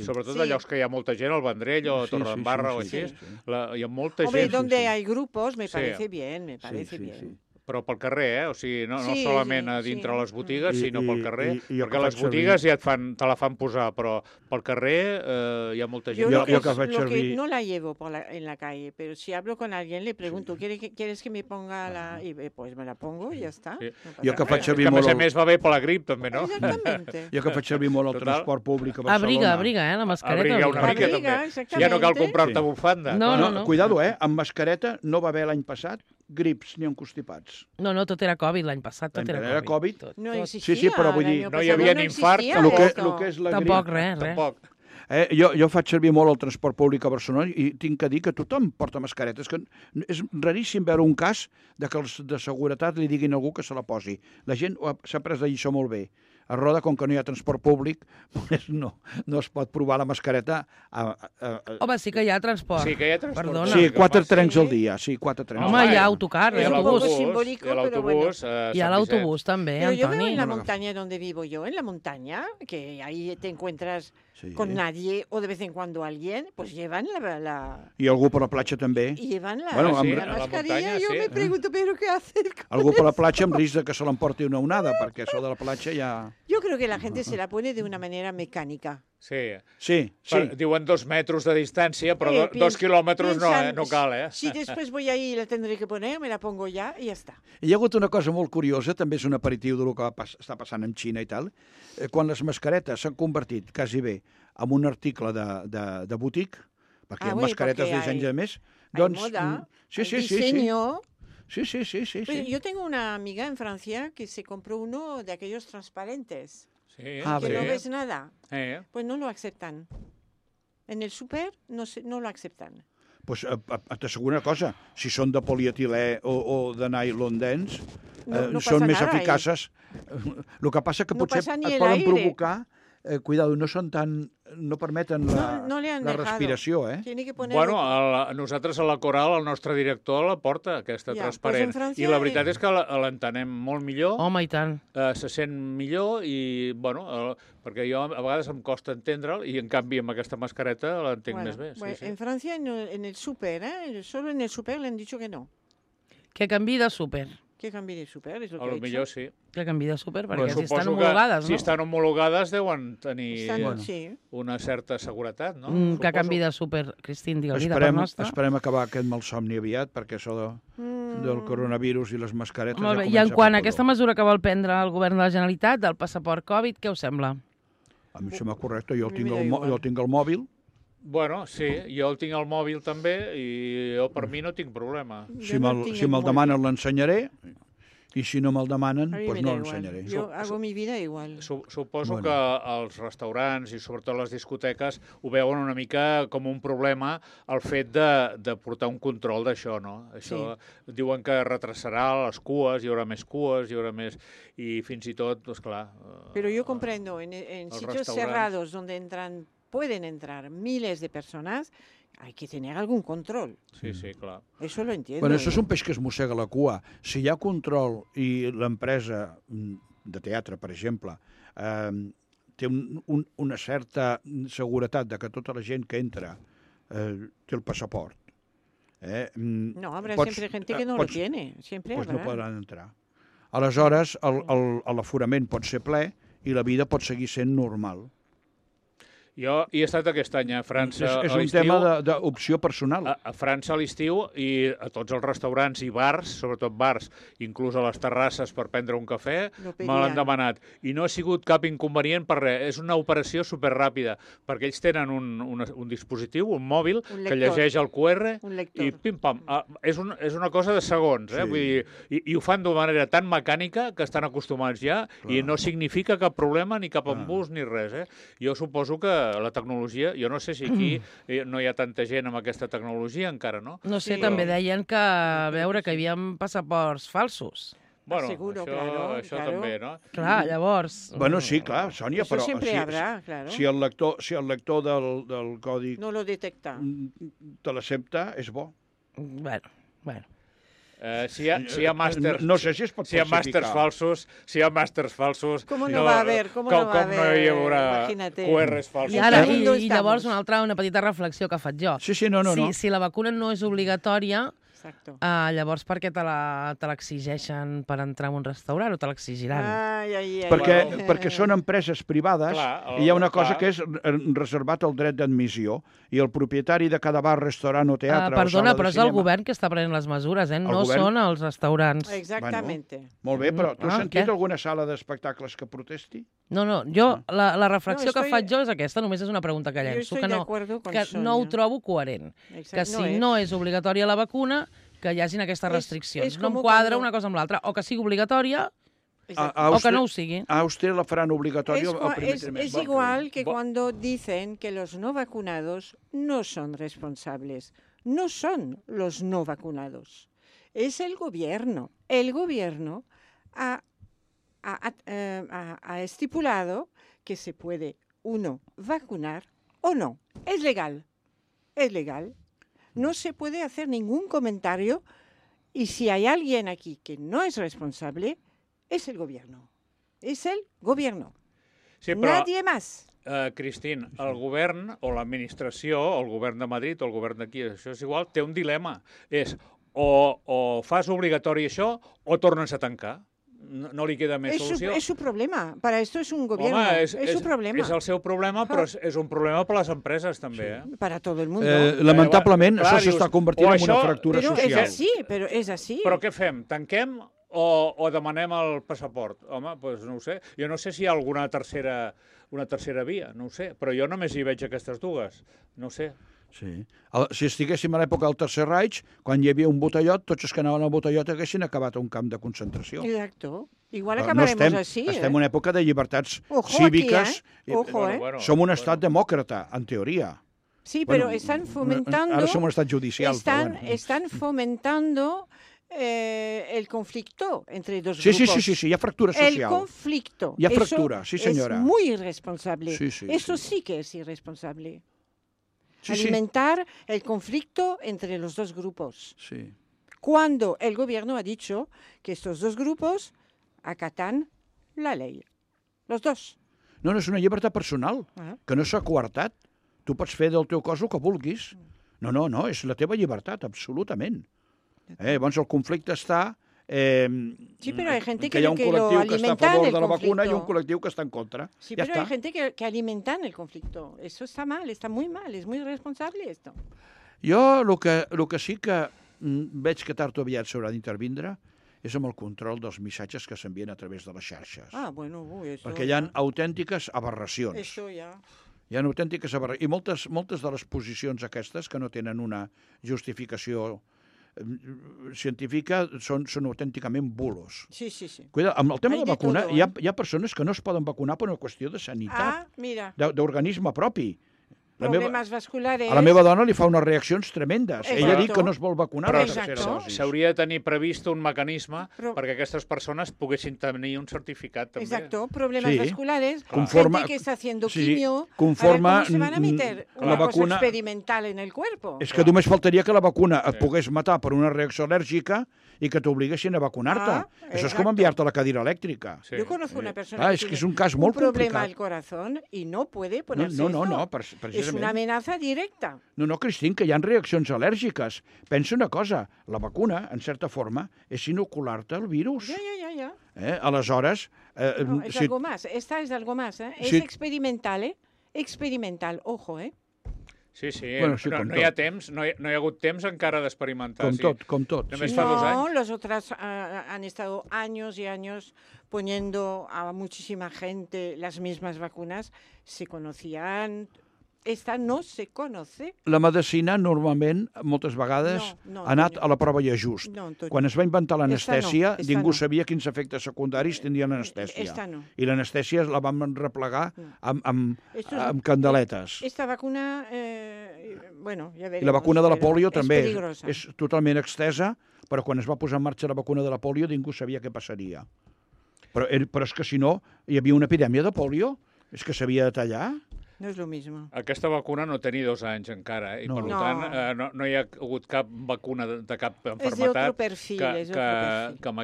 sobretot a llocs que hi ha molta gent, al Vendrell o a Torredembarra o així. Hi ha molta gent. Hombre, donde hay grupos me parece bien, me parece bien. Però pel carrer, o sigui, no solament a dintre les botigues, sinó pel carrer, perquè les botigues ja te la fan posar, però pel carrer hi ha molta gent. Lo que no la llevo en la calle, pero si hablo con alguien le pregunto, ¿quieres que me ponga la...? Y pues me la pongo y ya está. Jo que faig servir molt... Que a més va bé per la grip, també, no? Exactamente. Jo que faig servir molt el transport públic a Barcelona. Abriga, la mascareta. Abriga una mica, també. Ja no cal comprar-te bufanda. No. Cuidado, amb mascareta no va haver l'any passat grips ni encostipats. No, tot era Covid l'any passat, tot era Covid. No existia. Sí, però vull dir... No hi havia ni infart. El que és la grip... Tampoc, res. Jo faig servir molt el transport públic a Barcelona i tinc que dir que tothom porta mascareta. És raríssim veure un cas que els de seguretat li diguin a algú que se la posi. La gent s'ha pres la lliçó molt bé. A Roda, com que no hi ha transport públic, no es pot provar la mascareta. Home, sí que hi ha transport. Sí que hi ha transport. Perdona. Sí, 4 trens al dia. Sí, 4 trens. Home, hi ha autocar, autobús. Y al autobús también, pero Antoni. yo veo en la montaña donde vivo yo, en la montaña, que ahí te encuentras con nadie o de vez en cuando alguien, pues llevan la... I algú per la platja també. Y llevan la muntanya, mascarilla. Yo me pregunto, ¿pero qué hacen? Algú per la platja amb risc que se l'emporti una onada, perquè això de la platja ja... Yo creo que la gente se la pone de una manera mecánica. Sí. Diuen 2 metros de distància, però 2 quilòmetres no cal, Si después voy ahí y la tendré que poner, me la pongo ya y ya está. Hi ha hagut una cosa molt curiosa, també és un aperitiu del que està passant en Xina i tal, quan les mascaretes s'han convertit quasi bé en un article de botic, perquè hi ha mascaretes de disseny de més, doncs... moda, diseño... Sí. Pues yo tengo una amiga en Francia que se compró uno de aquellos transparentes. Sí, que no ves nada. Pues no lo aceptan. En el súper no lo aceptan. Pues t'asseguro una cosa, si són de polietilè o de nylon dens, són més eficaces. El que passa que potser et poden provocar... Cuidado, no permeten la respiració, Bueno, nosaltres a la Coral, el nostre director la porta, aquesta transparent. I la veritat és que l'entenem molt millor. Home, i tant. Se sent millor i, bueno, perquè jo a vegades em costa entendre'l i, en canvi, amb aquesta mascareta l'entenc més bé. En Francia, en el súper, solo en el súper le han dicho que no. Que canvi de súper. Que canvi de súper, és el que he dit. Millor sí. Que canvi de súper, perquè si estan homologades, no? Si estan homologades deuen tenir una certa seguretat, no? Que canvi de súper, Cristín, digue-li de part nostra. Esperem acabar aquest malsomni aviat, perquè això del coronavirus i les mascaretes ja comença. I en quant a aquesta mesura que vol prendre el govern de la Generalitat, del passaport Covid, què us sembla? A mi sembla correcte, jo tinc el mòbil. Bueno, sí, jo el tinc al mòbil també i jo per mi no tinc problema. Si me'l demanen l'ensenyaré i si no me'l demanen, doncs no l'ensenyaré. Jo hago mi vida igual. Suposo que els restaurants i sobretot les discoteques ho veuen una mica com un problema el fet de portar un control d'això, no? Això diuen que retrasarà les cues, hi haurà més cues, hi haurà més... I fins i tot, doncs clar... Però jo comprendo, en sitios cerrados donde pueden entrar miles de personas, hay que tener algún control. Sí, clar. Eso lo entiendo. Bueno, això és un peix que es mossega la cua. Si hi ha control i l'empresa de teatre, per exemple, té una certa seguretat de que tota la gent que entra té el passaport No, habrá siempre gente que no lo tiene. Siempre pues habrá. no podran entrar. Aleshores, l'aforament pot ser ple i la vida pot seguir sent normal. Jo hi he estat aquest any a França És a un l'estiu. tema d'opció personal. A França a l'estiu i a tots els restaurants i bars, sobretot bars, inclús a les terrasses per prendre un cafè, me l'han demanat. I no ha sigut cap inconvenient per res. És una operació superràpida, perquè ells tenen un dispositiu, un mòbil, que llegeix el QR i pim-pam. És una cosa de segons, eh? Vull dir, i ho fan d'una manera tan mecànica que estan acostumats ja i no significa cap problema ni cap embús ni res, eh? Jo suposo que la tecnologia, jo no sé si aquí no hi ha tanta gent amb aquesta tecnologia encara, no? No sé, també deien que a veure que hi havia passaports falsos. Bueno, això també, no? Clar, llavors... Bueno, sí, clar, Sònia, però si el lector del còdic no lo detecta, te l'accepta, és bo. Bueno. Si hi ha màsters, no sé si es pot si hi ha màsters falsos, com no va haver, com no hi haurà QRs falsos. I llavors una petita reflexió que faig jo. Sí, no. Si la vacuna no és obligatòria, llavors per què te l'exigeixen per entrar en un restaurant o te l'exigiran? Perquè són empreses privades i hi ha una cosa que és reservat el dret d'admissió i el propietari de cada bar, restaurant o teatre perdona, però és el govern que està prenent les mesures, no són els restaurants. Exactament. Molt bé, però tu has sentit alguna sala d'espectacles que protesti? No, jo, la reflexió que faig jo és aquesta, només és una pregunta que llenço, que no ho trobo coherent. Que si no és obligatòria la vacuna, que hi hagin aquestes restriccions. No em quadra una cosa amb l'altra. O que sigui obligatòria o que no ho sigui. A usted la faran obligatorio al primer trimestre. Es igual que cuando dicen que los no vacunados no son responsables. No son los no vacunados. Es el gobierno. El gobierno ha estipulado que se puede uno vacunar o no. Es legal. Es legal. No se puede hacer ningún comentario y si hay alguien aquí que no es responsable, es el gobierno. Es el gobierno. Sí, però, nadie más. Cristín, el govern o l'administració, el govern de Madrid o el govern d'aquí, això és igual, té un dilema. És o fas obligatori això o tornes a tancar. No li queda més solució. Es su problema. Para esto es un gobierno. Home, es su problema. És el seu problema, però és un problema per les empreses, també. Para todo el mundo. Lamentablement, això s'està convertint en una fractura social. Però és així. Però què fem? Tanquem o demanem el passaport? Home, doncs no ho sé. Jo no sé si hi ha alguna tercera via, no ho sé. Però jo només hi veig aquestes dues. No ho sé. Sí. Si estiguéssim a l'època del Tercer Reich, quan hi havia un botellot, tots els que anaven al botellot haguessin acabat a un camp de concentració. Exacto. Igual acabaremos así. Estem en una època de llibertats cíviques. Som un estat demòcrata, en teoria. Sí, però estan fomentando... Ara som un estat judicial. Estan fomentando el conflicto entre dos grupos. Sí, hi ha fractura social. El conflicto. Hi ha fractura, sí senyora. Es muy irresponsable. Eso sí que es irresponsable. Alimentar el conflicto entre los dos grupos. Sí. Cuando el gobierno ha dicho que estos dos grupos acatan la ley. Los dos. No, és una llibertat personal, que no s'ha coartat. Tu pots fer del teu cos el que vulguis. No, és la teva llibertat, absolutament. Llavors el conflicte està... sí, pero hay gente que hi ha un col·lectiu que està a favor de la vacuna i un col·lectiu que està en contra. Sí, pero hay gente que alimentan el conflicto. Eso está mal, está muy mal, es muy irresponsable esto. Jo el que sí que veig que tard o aviat s'haurà d'intervindre és amb el control dels missatges que s'envien a través de les xarxes. Perquè hi ha autèntiques aberracions. Això ja... Hi ha autèntiques aberracions. I moltes de les posicions aquestes que no tenen una justificació científica són autènticament bulos. Sí. Cuida, amb el tema de la vacuna, hi ha persones que no es poden vacunar per una qüestió de sanitat, d'organisme propi. Problemes vasculares... A la meva dona li fa unes reaccions tremendes. Ella ha dit que no es vol vacunar. Però s'hauria de tenir previst un mecanisme perquè aquestes persones poguessin tenir un certificat també. Exacto, problemes vasculares, gente que está haciendo quimio, ¿cómo se van a meter una cosa experimental en el cuerpo? És que només faltaria que la vacuna et pogués matar per una reacció al·lèrgica i que t'obliguessin a vacunar-te. Això és com enviar-te a la cadira elèctrica. Yo conozco una persona que tiene un problema al corazón y no puede ponerse esto. No, per això És una amenaça directa. No, Cristín, que hi ha reaccions al·lèrgiques. Pensa una cosa, la vacuna, en certa forma, és inocular-te el virus. Ja. Aleshores... No, és algo más. Esta és algo más. És experimental, Experimental, ojo, Sí, bueno, sí, no hi ha temps, no hi ha hagut temps encara d'experimentar. Com tot. Només fa 2 anys. No, los otros han estado años y años poniendo a muchísima gente las mismas vacunas. Se conocían... Esta no se conoce. La medicina, normalment, moltes vegades, ha anat a la prova i ajust. Quan es va inventar l'anestèsia, ningú sabia quins efectes secundaris tindria l'anestèsia. I l'anestèsia la vam replegar amb candeletes. Esta vacuna, bueno, ja veremos. I la vacuna de la polio també és totalment extesa, però quan es va posar en marxa la vacuna de la polio ningú sabia què passaria. Però és que si no, hi havia una epidèmia de polio, és que s'havia de tallar. No és el mismo. Aquesta vacuna no té ni 2 anys encara, i per tant no hi ha hagut cap vacuna de cap malaltia que amb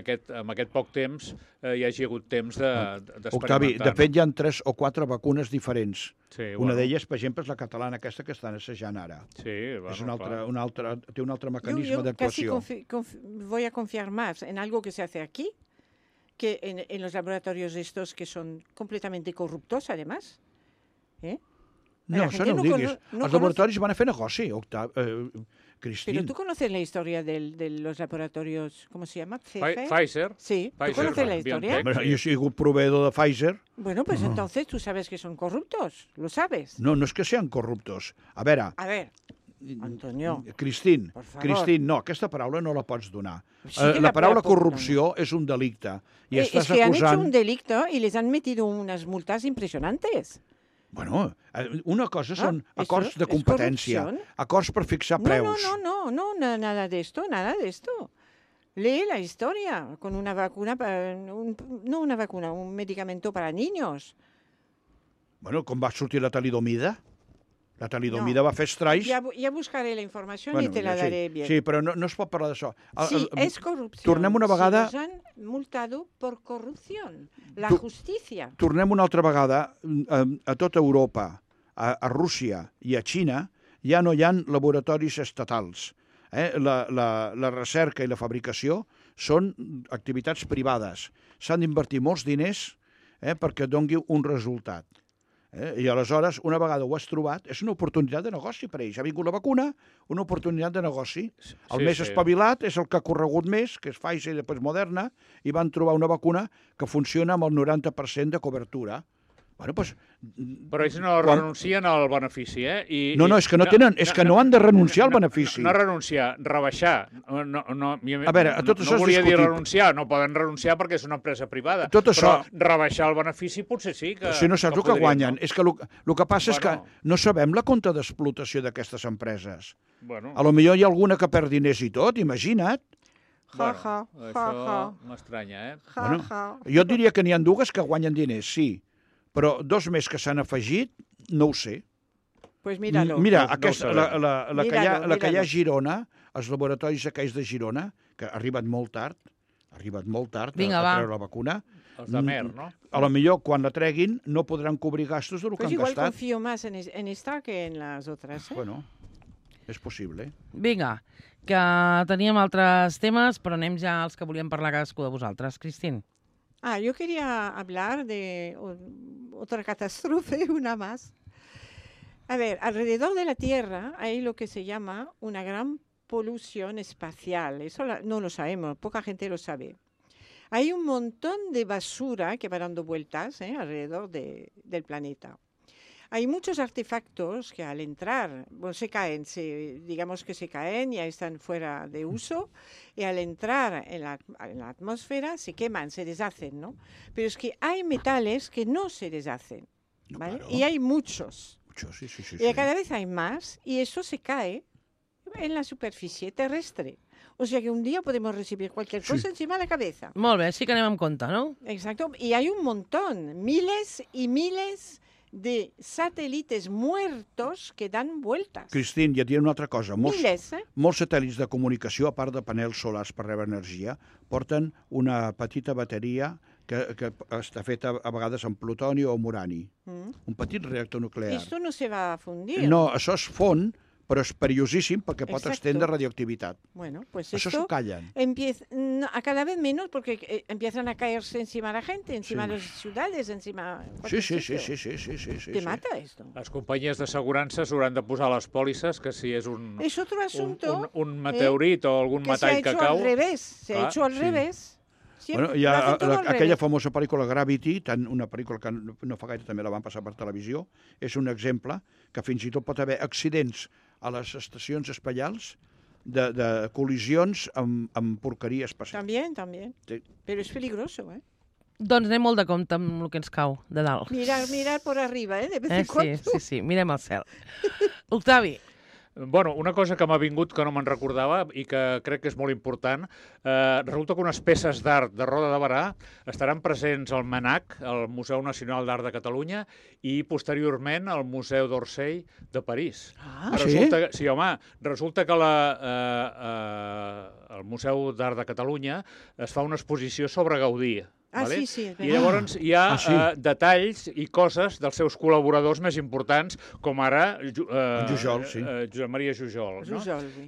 aquest poc temps hi hagi hagut temps d'experimentar. Octavi, de fet hi ha 3 o 4 vacunes diferents. Una d'elles, per exemple, és la catalana aquesta que estan assajant ara. Sí, és té un altre mecanisme d'actuació. Yo casi voy a confiar más en algo que se hace aquí que en los laboratorios estos que son completamente corruptos, además. No, això no ho diguis. Els laboratoris van a fer negoci, Cristín. Pero tú conoces la historia de los laboratorios, ¿cómo se llama? Pfizer. Sí, ¿tú conoces la historia? Bueno, yo he sido proveedor de Pfizer. Bueno, pues entonces tú sabes que son corruptos, lo sabes. No és que sean corruptos. A veure, Antonio. Cristín, no, aquesta paraula no la pots donar. La paraula corrupció és un delicte. Es que han hecho un delicto y les han metido unas multas impresionantes. Bueno, una cosa són acords de competència, acords per fixar preus. No, nada de esto. Lee la historia con una vacuna, un medicamento para niños. Bueno, com va sortir la talidomida? La talidomida va fer estralls... Ja buscaré la informació i te la daré bien. Sí, però no es pot parlar d'això. Sí, és corrupció. Tornem una vegada... Si nos han multado por corrupción. La justícia. Tornem una altra vegada a tota Europa, a Rússia i a Xina, ja no hi ha laboratoris estatals. La recerca i la fabricació són activitats privades. S'han d'invertir molts diners perquè doni un resultat. I aleshores, una vegada ho has trobat, és una oportunitat de negoci per ells. Ha vingut la vacuna, una oportunitat de negoci. El més espavilat és el que ha corregut més, que és Pfizer i després Moderna, i van trobar una vacuna que funciona amb el 90% de cobertura. Bueno, doncs... Però ells no renuncien al benefici, No, és que no tenen, és que no han de renunciar al benefici. No renunciar, rebaixar. A veure, tot això no volia dir renunciar, no poden renunciar perquè és una empresa privada. Però rebaixar el benefici potser sí que... Si no saps el que guanyen. És que el que passa és que no sabem la compte d'explotació d'aquestes empreses. A lo millor hi ha alguna que perd diners i tot, imagina't. Això m'estranya, Jo diria que n'hi ha dues que guanyen diners, sí. Però 2 més que s'han afegit, no ho sé. Pues míralo. Mira, la que hi ha a Girona, els laboratoris aquells de Girona, que ha arribat molt tard a treure la vacuna. Els de Mer, no? A lo millor, quan la treguin, no podran cobrir gastos del que han gastat. Igual confío más en esta que en las otras. Bueno, és possible. Vinga, que teníem altres temes, però anem ja als que volíem parlar cadascú de vosaltres. Cristín. Yo quería hablar de otra catástrofe, una más. A ver, alrededor de la Tierra hay lo que se llama una gran polución espacial. Eso no lo sabemos, poca gente lo sabe. Hay un montón de basura que va dando vueltas alrededor del planeta. Hay muchos artefactos que al entrar, se caen, digamos que se caen, ya están fuera de uso, y al entrar en la atmósfera se queman, se deshacen, ¿no? Pero es que hay metales que no se deshacen, ¿vale? Claro. Y hay muchos. Sí. Y cada vez hay más, y eso se cae en la superficie terrestre. O sea que un día podemos recibir cualquier cosa encima de la cabeza. Molt bé, sí que anem amb compte, no? Exacto, y hay un montón, miles y miles de satélites muertos que dan vueltas. Cristín, ja et diré una altra cosa. Molts satèl·lits de comunicació, a part de panels solars per rebre energia, porten una petita bateria que està fet a vegades amb plutoni o amb urani. Un petit reactor nuclear. Esto no se va a fundir. No, això es fon, però és perillosíssim perquè pot extendre radioactivitat. Bueno, pues eso se callan. A cada vez menos porque empiezan a caerse encima de la gente, encima de las ciudades, encima... Sí. Te mata esto. Les companyies d'assegurança s'hauran de posar a les pòlisses que si és un meteorit o algun metall que cau... Se ha hecho al revés. Bueno, hi ha aquella famosa pel·lícula Gravity, una pel·lícula que no fa gaire també la van passar per televisió, és un exemple que fins i tot pot haver accidents a les estacions espacials de col·lisions amb porqueria espacial. També. Sí. Però és peligroso, Doncs anem molt de compte amb el que ens cau de dalt. Mirar por arriba, de vez en cuando. Sí, mirem al cel. Octavi. Bueno, una cosa que m'ha vingut que no me'n recordava i que crec que és molt important, resulta que unes peces d'art de Roda de Berà estaran presents al MNAC, el Museu Nacional d'Art de Catalunya, i posteriorment al Museu d'Orsay de París. Sí? Sí, home, resulta que al Museu d'Art de Catalunya es fa una exposició sobre Gaudí. Vale? Sí. I llavors hi ha detalls i coses dels seus col·laboradors més importants, com ara Josep Maria Jujol.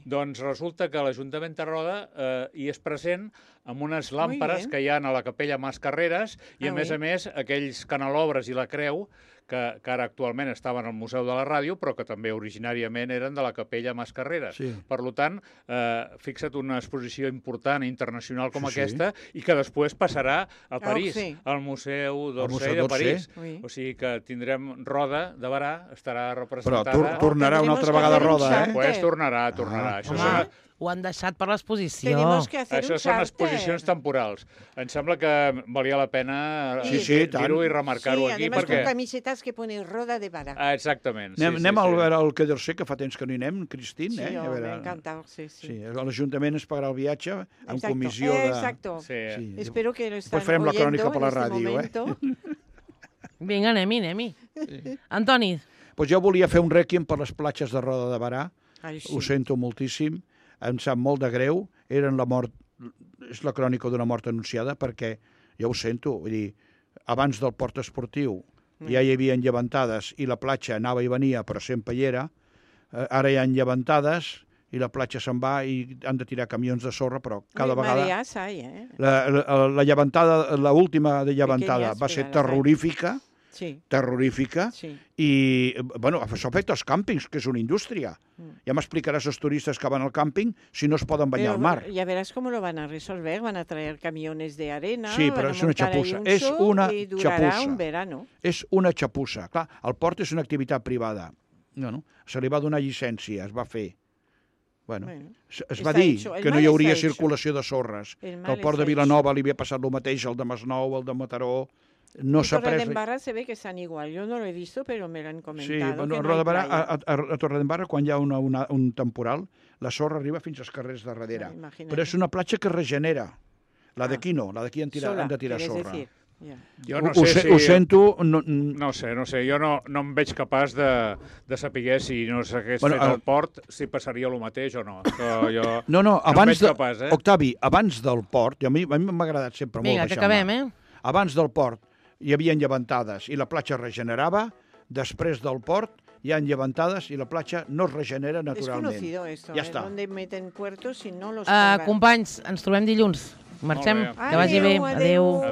Doncs resulta que l'Ajuntament de Roda hi és present amb unes làmperes que hi ha a la capella Mas Carreras i, a més, aquells canelobres i la creu que ara actualment estaven al Museu de la Ràdio, però que també originàriament eren de la capella Mas Carreras. Per tant, fixa't una exposició important internacional com aquesta i que després passarà a París, al Museu d'Orsay de París. O sigui que tindrem Roda de Berà, estarà representada... Però tornarà una altra vegada Roda, Pues tornarà. Ho han deixat per l'exposició. Això són exposicions temporals. Em sembla que valia la pena dir-ho i remarcar-ho aquí. Sí, además con camisetas que pone Roda de Berà. Exactament. Anem a veure el Quedercer, que fa temps que no hi anem, Cristín. Sí, m'ha encantat, sí. L'Ajuntament es pagarà el viatge en comissió de... Exacto. Espero que lo están farem la crònica per la ràdio, Vinga, anem-hi. Antoni. Doncs jo volia fer un rèquiem per les platges de Roda de Berà. Ho sento moltíssim. Em sap molt de greu, és la crònica d'una mort anunciada, perquè jo ho sento, vull dir, abans del port esportiu ja hi havia llevantades i la platja anava i venia, però sempre hi era, ara hi ha llevantades i la platja se'n va i han de tirar camions de sorra, però cada vegada... La llevantada, l'última de llevantada va ser terrorífica, i bueno, això afecta els càmpings, que és una indústria. Ja m'explicaràs als turistes que van al càmping si no es poden banyar al mar. Ya verás cómo lo van a resolver, van a traer camiones de arena, sí, però és una xapussa. És una xapussa. És una xapussa. Clar, el port és una activitat privada. No. Se li va donar llicència, es va fer. Bueno, es va dir que no hi hauria circulació de sorres, que al port de Vilanova li havia passat el mateix, el de Masnou, el de Mataró. No s'ha pres... Torredembarra se ve que estan igual. Jo no lo he visto, però me lo han comentado. Sí, a Torredembarra, quan hi ha un temporal, la sorra arriba fins als carrers de darrere. Però és una platja que regenera. La d'aquí no, la d'aquí han de tirar sorra. Jo no sé si... Ho sento... No sé. Jo no em veig capaç de saber si no s'hagués fet el port, si passaria el mateix o no. No, abans Octavi, abans del port, a mi m'ha agradat sempre molt baixar. Vinga, que acabem, Abans del port hi havia llevantades i la platja regenerava, després del port hi ha llevantades i la platja no es regenera naturalment. És conocido esto, ja està. Donde meten puertos si no los companys, ens trobem dilluns. Marxem, que vagi bé. Adéu.